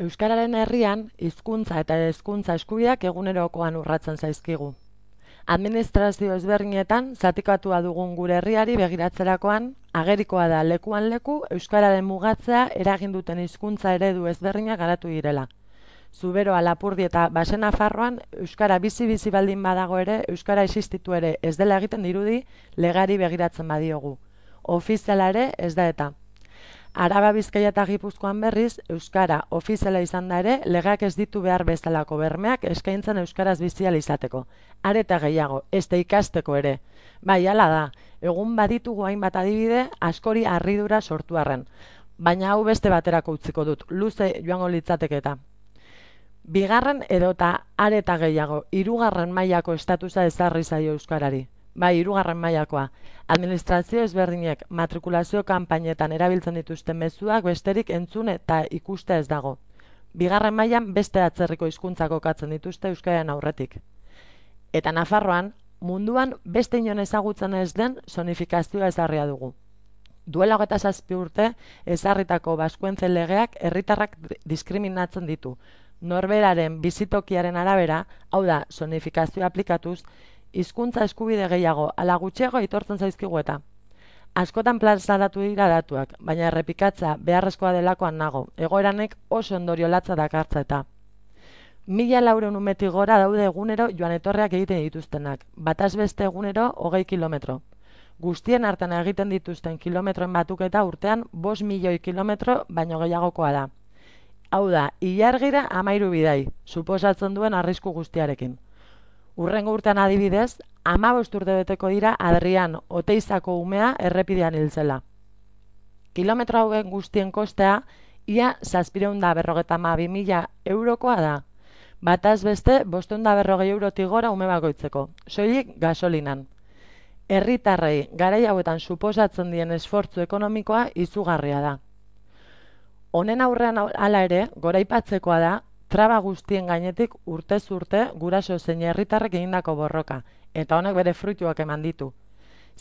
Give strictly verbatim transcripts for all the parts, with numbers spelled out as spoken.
Euskararen herrian, hizkuntza eta hezkuntza eskubideak egunerokoan urratzen zaizkigu. Administrazio ezberdinetan zatikatua dugun gure herriari begiratzerakoan, agerikoa da lekuan leku euskararen mugatzea eragin duten hizkuntza eredu ezberdinak garatu direla. Zuberoa, Lapurdi eta Baxe Nafarroan euskara bizi-bizi baldin badago ere, euskara existitu ere ez dela egiten dirudi legari begiratzen badiogu. Ofiziala ere ez da eta. Araba, Bizkaia eta Gipuzkoan berriz, euskara ofiziala izan da ere, legeak ez ditu behar bezalako bermeak eskaintzen euskaraz bizial izateko. Are eta gehiago, ez da ikasteko ere. Bai, hala da, egun baditugu hainbat adibide askori harridura sortu arren. Baina hau beste baterako utziko dut, luze joango litzateke eta. Bigarren edota are eta gehiago, hirugarren mailako estatusa ezarri zaio euskarari. Bai, hirugarren mailakoa. Administrazio ezberdinek matrikulazio kanpainetan erabiltzen dituzten mezuak besterik entzun eta ikuste ez dago. Bigarren mailan beste atzerriko hizkuntzak kokatzen dituzte euskararen aurretik. Eta Nafarroan, munduan beste inon ezagutzen ez den sonifikazioa ezarria dugu. Duela hogeita zazpi urte ezarritako baskuentze legeak herritarrak diskriminatzen ditu. Norberaren bizitokiaren arabera, hau da, sonifikazioa aplikatuz, hizkuntza eskubide gehiago ala gutxiago aitortzen zaizkigu eta. Askotan plazaratu dira datuak, baina errepikatza beharrezkoa delakoan nago, egoeranek oso ondorio latza dakartza eta. Mila laurehun umetik gora daude egunero joan etorreak egiten dituztenak, bataz beste egunero hogei kilometro. Guztien artean egiten dituzten kilometroen batuketa urtean bost milioi kilometro baino gehiagokoa da. Hau da, ilargira hamairu bidai, suposatzen duen arrisku guztiarekin. Urrengo urtean adibidez, hamabost urte beteko dira Adrian Oteizako umea errepidean hiltzela. Kilometro hauen guztien kostea, ia zazpiehun eta berrogeita hamabi mila eurokoa da. Bataz beste, bostehun eta berrogei eurotik gora ume bakoitzeko, soilik gasolinan. Herritarrei garai hauetan suposatzen dien esfortzu ekonomikoa izugarria da. Honen aurrean hala ere, goraipatzekoa da, traba guztien gainetik urtez urte guraso zein herritarrek egindako borroka, eta honek bere fruituak eman ditu.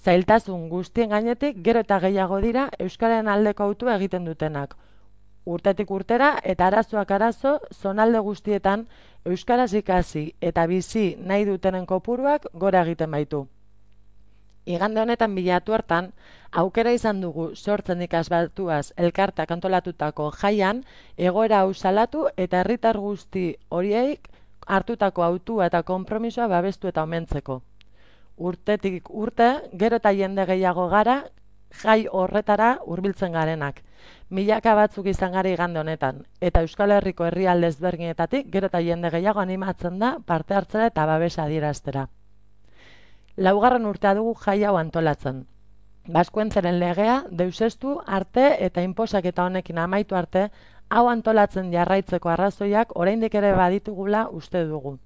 Zailtasun guztien gainetik gero eta gehiago dira euskararen aldeko autua egiten dutenak. Urtetik urtera eta arazoak arazo, zonalde guztietan euskaraz ikasi eta bizi nahi dutenen kopuruak gora egiten baitu. Igande honetan bilatu hartan, aukera izan dugu sortzen ikasbatuaz elkartak antolatutako jaian, egoera hau salatu eta herritar guzti horiek hartutako autua eta konpromisoa babestu eta omentzeko. Urtetik urte, gero eta jende gehiago gara, jai horretara hurbiltzen garenak. Milaka batzuk izan gara igande honetan, eta Euskal Herriko herrialde ezberdinetatik gero eta jende gehiago animatzen da parte hartzera eta babesa adieraztera. Laugarren urtea dugu jai hau antolatzen. Baskuentzeren legea, deuseztu arte eta inposaketa honekin amaitu arte, hau antolatzen jarraitzeko arrazoiak oraindik ere baditugula uste dugu.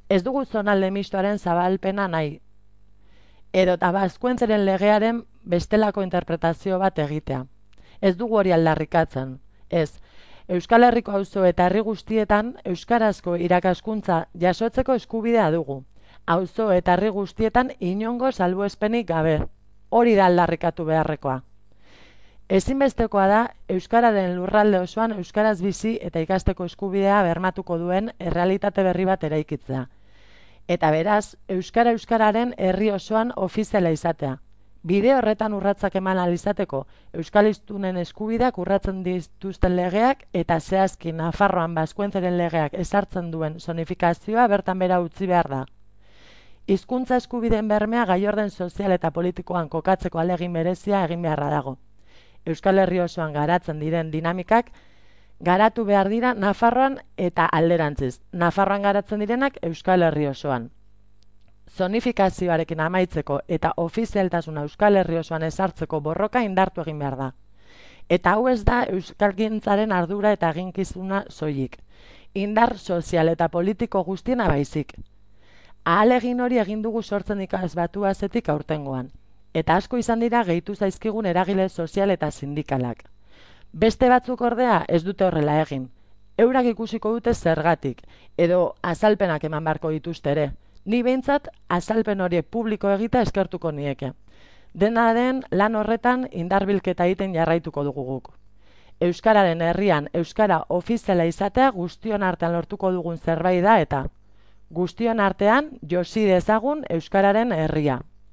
Ez dugu zonalde mistoaren zabalpena nahi, edo eta baskuentzeren legearen bestelako interpretazio bat egitea. Ez dugu hori aldarrikatzen. Ez, Euskal Herriko auzo eta herri guztietan euskarazko irakaskuntza jasotzeko eskubidea dugu. Auzo eta herri guztietan inongo salbuespenik gabe. Hori da aldarrikatu beharrekoa. Ezinbestekoa da euskararen lurralde osoan euskaraz bizi eta ikasteko eskubidea bermatuko duen errealitate berri bat eraikitzea. Eta beraz, euskara euskararen herri osoan ofiziala izatea. Bide horretan urratsak eman ahal izateko, euskal hiztunen eskubideak urratzen dituzten legeak eta zehazki Nafarroan baskuentzeren legeak ezartzen duen sonifikazioa bertan bera utzi behar da. Hizkuntza eskubideen bermea gaiorden sozial eta politikoan kokatzeko ahalegin berezia egin beharra dago. Euskal Herri osoan garatzen diren dinamikak garatu behar dira Nafarroan eta alderantziz. Nafarroan garatzen direnak Euskal Herri osoan. Zonifikazioarekin amaitzeko eta ofizialtasuna Euskal Herri osoan ezartzeko borroka indartu egin behar da. Eta hau ez da euskalgintzaren ardura eta eginkizuna soilik. Indar sozial eta politiko guztiena baizik. Ahalegin hori egin dugu sortzen ikasbatu azetik aurtengoan, eta asko izan dira gehitu zaizkigun eragile sozial eta sindikalak. Beste batzuk ordea ez dute horrela egin. Eurak ikusiko dute zergatik, edo azalpenak eman beharko dituzte ere. Ni behintzat azalpen horiek publiko egita eskertuko nieke. Dena den lan horretan indarbilketa egiten jarraituko dugu guk. Euskararen herrian euskara ofiziala izatea guztion artean lortuko dugun zerbait da eta guztion artean josi dezagun euskararen herria.